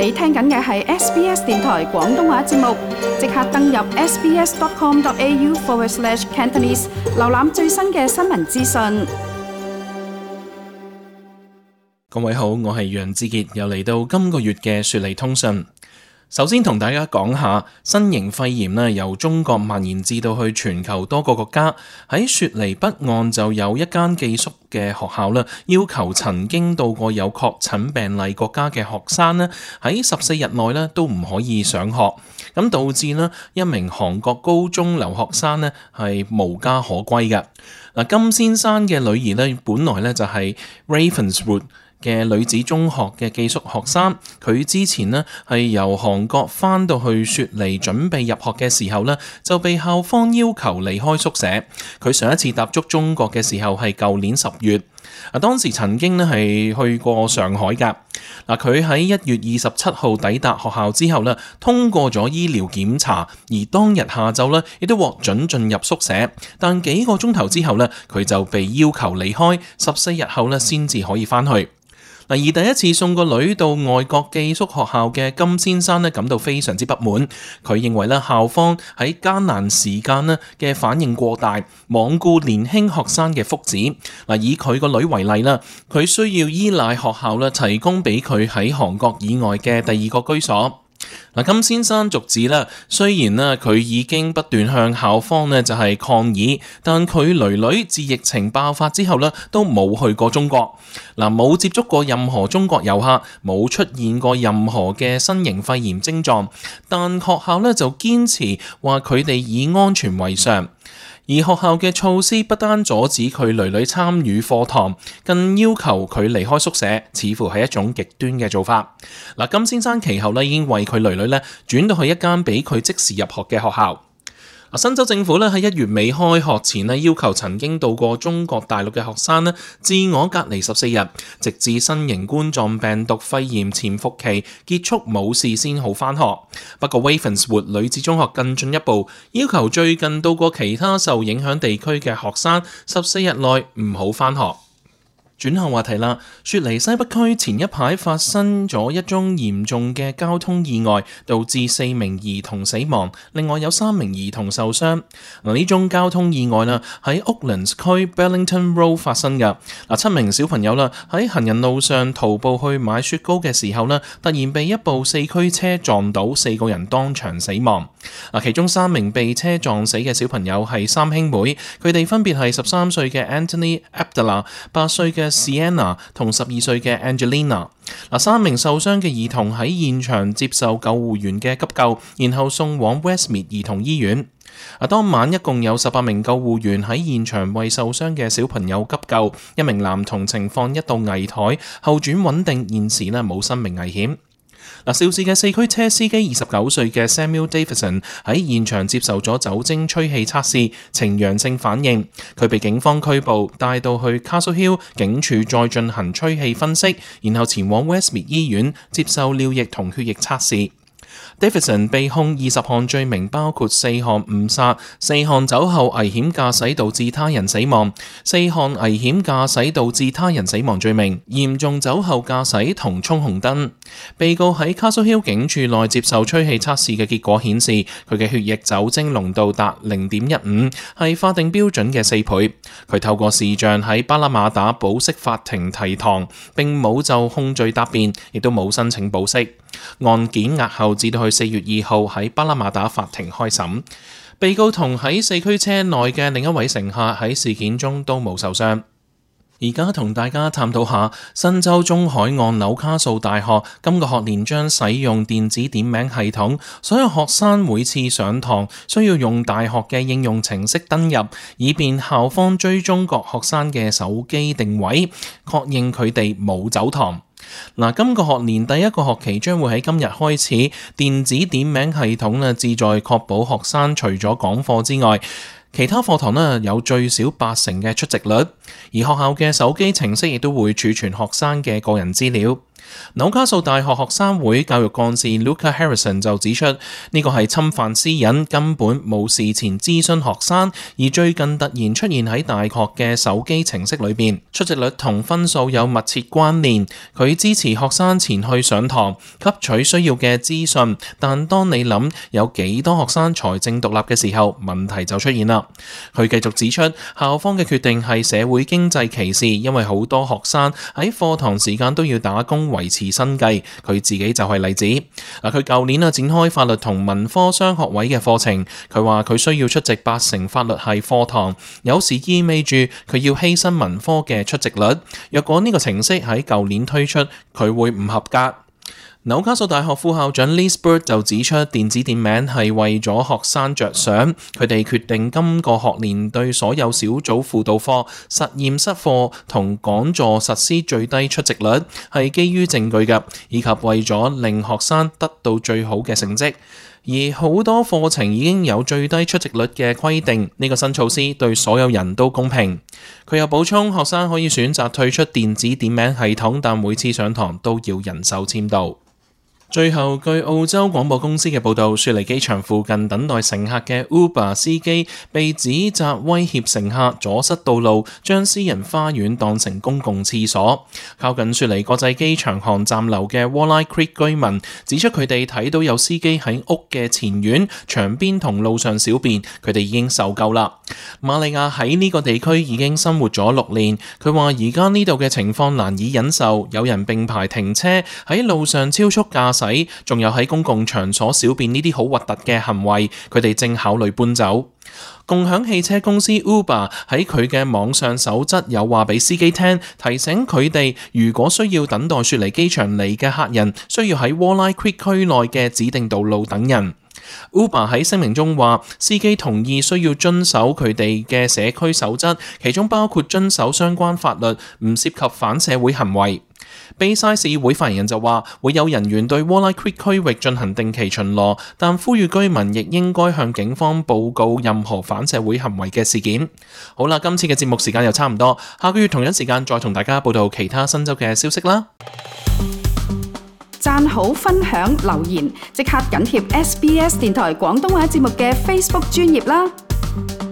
你聽緊嘅係 SBS 電台廣東話節目，即刻登入 sbs.com.au/cantonese 瀏覽最新嘅新聞資訊。各位好，我係楊志傑，又嚟到今個月嘅雪梨通訊。首先同大家講下新型肺炎咧，由中國蔓延至到去全球多個國家。喺雪梨北岸就有一間寄宿嘅學校啦，要求曾經到過有確診病例國家嘅學生咧，喺14日內咧都唔可以上學，咁導致咧一名韓國高中留學生咧係無家可歸嘅。嗱，金先生嘅女兒咧本來咧就係 Ravenswood嘅女子中學嘅寄宿學生，佢之前呢係由韓國返到去雪梨準備入學嘅時候呢，就被校方要求離開宿舍。佢上一次踏足中國嘅時候係舊年10月，當時曾經呢係去過上海㗎。佢喺1月27號抵達學校之後呢，通過咗醫療檢查，而當日下晝呢亦都獲准進入宿舍，但幾個鐘頭之後呢，佢就被要求離開，14日後呢先至可以返去。而第一次送個女到外國寄宿學校嘅金先生呢，感到非常之不滿。佢認為咧校方喺艱難時間呢嘅反應過大，罔顧年輕學生嘅福祉。以佢個女為例啦，佢需要依賴學校咧提供俾佢喺韓國以外嘅第二個居所。金先生續指啦，雖然佢已經不斷向校方就係抗議，但佢女自疫情爆發之後都冇去過中國，冇接觸過任何中國遊客，冇出現過任何嘅新型肺炎症狀，但學校就堅持話佢哋以安全為上。而學校嘅措施不單阻止佢女參與課堂，更要求佢離開宿舍，似乎係一種極端嘅做法。金先生其後已經為佢女轉到去一間俾佢即時入學嘅學校。新州政府喺1月尾開學前要求曾經到過中國大陸嘅學生自我隔離14日，直至新型冠狀病毒肺炎潛伏期結束冇事先好返學。不過 Ravenswood 女子中學更進一步，要求最近到過其他受影響地區嘅學生14日內唔好返學。轉向話題啦，雪梨西北區前一排發生咗一宗嚴重嘅交通意外，導致4名兒童死亡，另外有3名兒童受傷。呢宗交通意外喺 Oaklands 區 Bellington Road 發生嘅。7名小朋友喺行人路上徒步去買雪糕嘅時候突然被一部4驅車撞倒，4個人當場死亡。其中3名被車撞死嘅小朋友係3兄妹，佢哋分別係13歲嘅 Anthony Abdallah、8歲嘅Sienna 同12歲嘅 Angelina。3名受傷嘅兒童喺現場接受救護員嘅急救，然後送往 Westmead 兒童醫院。當晚一共有18名救護員喺現場為受傷嘅小朋友急救，一名男童情況一度危殆，後轉穩定，現時冇生命危險。肇事嘅4驅車司機29歲嘅 Samuel Davidson 喺現場接受咗酒精吹氣測試，呈陽性反應，佢被警方拘捕，帶到去 Castle Hill 警署再進行吹氣分析，然後前往 Westmead 醫院接受尿液同血液測試。Davidson 被控20項罪名，包括4項誤殺、4項酒後危險駕駛導致他人死亡、4項危險駕駛導致他人死亡罪名、嚴重酒後駕駛同衝紅燈。被告喺 Castle Hill 警署內接受吹氣測試嘅結果顯示，佢嘅血液酒精濃度達 0.15， 係法定標準嘅4倍。佢透過視像喺巴拉馬打保釋法庭提堂，並冇就控罪答辯，亦都冇申請保釋。案件押後至到去4月2號喺巴拉馬打法庭開審。被告同喺4驅車內嘅另一位乘客喺事件中都冇受傷。而家同大家探討下新州中海岸紐卡素大學今個學年將使用電子點名系統，所有學生每次上堂需要用大學嘅應用程式登入，以便校方追蹤各學生嘅手機定位，確認佢哋冇走堂。今個學年第一個學期將會喺今日開始，電子點名系統旨在確保學生除咗講課之外，其他課堂有最少80%嘅出席率，而學校嘅手機程式亦都會儲存學生嘅個人資料。紐卡素大學學生會教育幹事 Luca Harrison 就指出，呢個係侵犯私隱，根本冇事前諮詢學生，而最近突然出現喺大學嘅手機程式裏邊，出席率同分數有密切關聯。佢支持學生前去上堂，吸取需要嘅資訊，但當你諗有幾多學生財政獨立嘅時候，問題就出現啦。佢繼續指出，校方嘅決定係社會經濟歧視，因為好多學生喺課堂時間都要打工維持生計，佢自己就係例子。佢舊年展開法律同文科雙學位嘅課程，佢話佢需要出席80%法律系課堂，有時意味住佢要犧牲文科嘅出席率。若果呢個程式喺舊年推出，佢會唔合格。紐卡素大學副校長 Liz Bird 就指出，電子點名係為咗學生着想，佢哋決定今個學年對所有小組輔導課、實驗室課同講座實施最低出席率，係基於證據嘅，以及為咗令學生得到最好嘅成績。而好多課程已經有最低出席率嘅規定，呢個新措施對所有人都公平。佢又補充，學生可以選擇退出電子點名系統，但每次上堂都要人手簽到。最後，據澳洲廣播公司嘅報導，雪梨機場附近等待乘客嘅 Uber 司機被指責威脅乘客，阻塞道路，將私人花園當成公共廁所。靠近雪梨國際機場航站樓嘅 Walleye Creek 居民指出，佢哋睇到有司機喺屋嘅前院、牆邊同路上小便，佢哋已經受夠啦。瑪利亞喺呢個地區已經生活咗6年，佢話而家呢度嘅情況難以忍受，有人並排停車，喺路上超速駕駛，仲有喺公共場所小便呢啲好核突嘅行為，佢哋正考慮搬走。共享汽車公司 Uber 喺佢嘅網上守則有話俾司機聽，提醒佢哋如果需要等待雪梨機場嚟嘅客人，需要喺 Walleye Creek 區內嘅指定道路等人。Uber 喺聲明中話，司機同意需要遵守佢哋嘅社區守則，其中包括遵守相關法律，唔涉及反社會行為。Bayside 市議會發言人就話，會有人員對 Walleye Creek 區域進行定期巡邏，但呼籲居民亦應該向警方報告任何反社會行為嘅事件。好啦，今次嘅節目時間又差唔多，下個月同樣時間再同大家報道其他新州嘅消息啦。讚好、分享、留言，即刻緊貼SBS 電台廣東話節目嘅 Facebook 專頁啦！